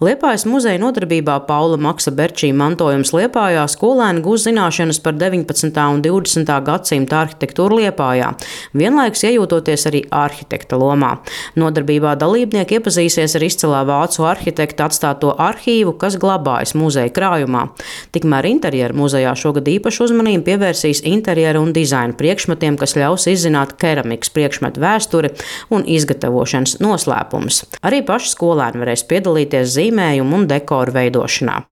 Liepājas muzeja nodarbībā Paula Maksa Berčī mantojums Liepājā skolēni gūs zināšanas par 19. un 20. gadsimta arhitektūru Liepājā, vienlaikus iejūtoties arī arhitekta lomā. Nodarbībā dalībnieki iepazīsies ar izcilā vācu arhitekta atstāto arhīvu, kas glabājas muzeja krājumā. Tikmēr interjera muzejā šogad īpašu uzmanību pievērsīs interjera un dizaina priekšmetiem, kas ļaus izzināt keramikas priekšmetu vēsturi un izgatavošanas noslēpumus. Arī paši skolēni varēs piedalīties zīmējumu un dekoru veidošanā.